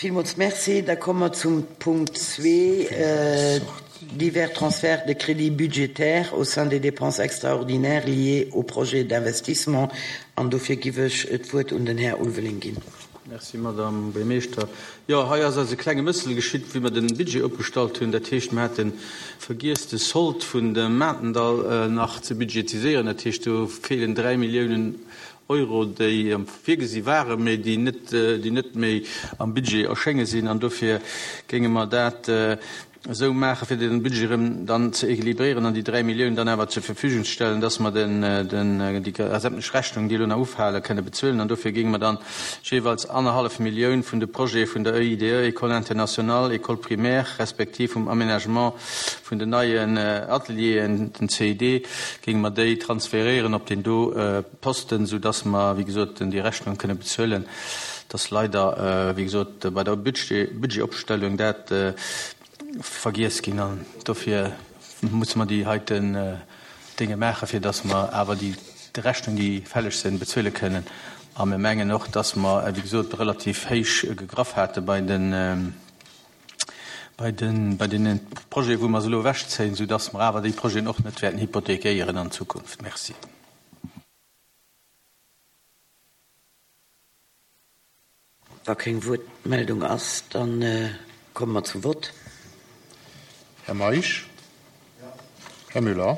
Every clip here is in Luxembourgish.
Villmools Merci. Da komme mer zum Punkt zwee, Divers transferts de crédits budgétaires au sein des dépenses extraordinaires liées aux projets d'investissement. An dofir giff ech d'Wuert un den Här Ulveling ginn. Merci, Madame Buergermeeschter. Jo, hei ass eis e klenge Mëssel geschitt, wéi mer de Budget opgestallt hunn. Dat heescht, mer hate vergiess, de Sold vun dem Matendall nach ze budgetiséieren. Dat heescht, do feelen 3 Milliounen Euro, déi virgesi waren, mä déi net, déi net méi am Budget erschénge sinn. An dofir géinge mer dat esou maachen, fir den Budget erëm dann ze équilibréieren an déi 3 Milliounen dann awer zur Verfügung ze stellen, dass mer den, den, déi sämtlech Rechnungen, déi elo nach ufalen, kënne bezuelen. An dofir géinge mer dann jeeweils annerhallef Millioun vun de Projete vun der EIDE, École internationale, École primaire, respektiv vum Aménagement vun den neien Atelieren, den CID, géinge mer déi transferéieren op deen do Posten, soudass mer, wéi gesot, déi Rechnung kënne bezuelen. Et ass leider, wéi gesot, bei der Budgetopstellung dat vergiess ginn an dofir musse mer déi heiten Dénge maachen, fir dass mer awer déi Rechnung, déi fälleg sinn, bezuele kënnen. A mir mengen och, dass mer, wéi gesot, relativ héich gegraff hate bei den, bei den, bei deene Projeten, wou mer se elo ewechzéien, soudass mer awer déi Projeten och net wäerten hypothekéieren an Zukunft. Merci. Wa keng Wuertmeldung ass, da komme mer zum Vott. Här Meisch? Här Müller?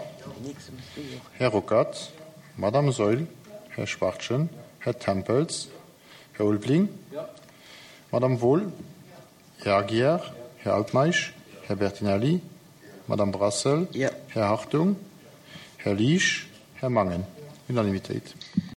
Här Ruckert? Madame Saeul? Här Schwachtgen? Här Tempels? Här Ulveling? Madame Wohl? Här Aguiar? Här Altmeisch? Här Bertinelli? Madame Brassel? Här Hartung? Här Liesch? Här Mangen? Unanimitéit.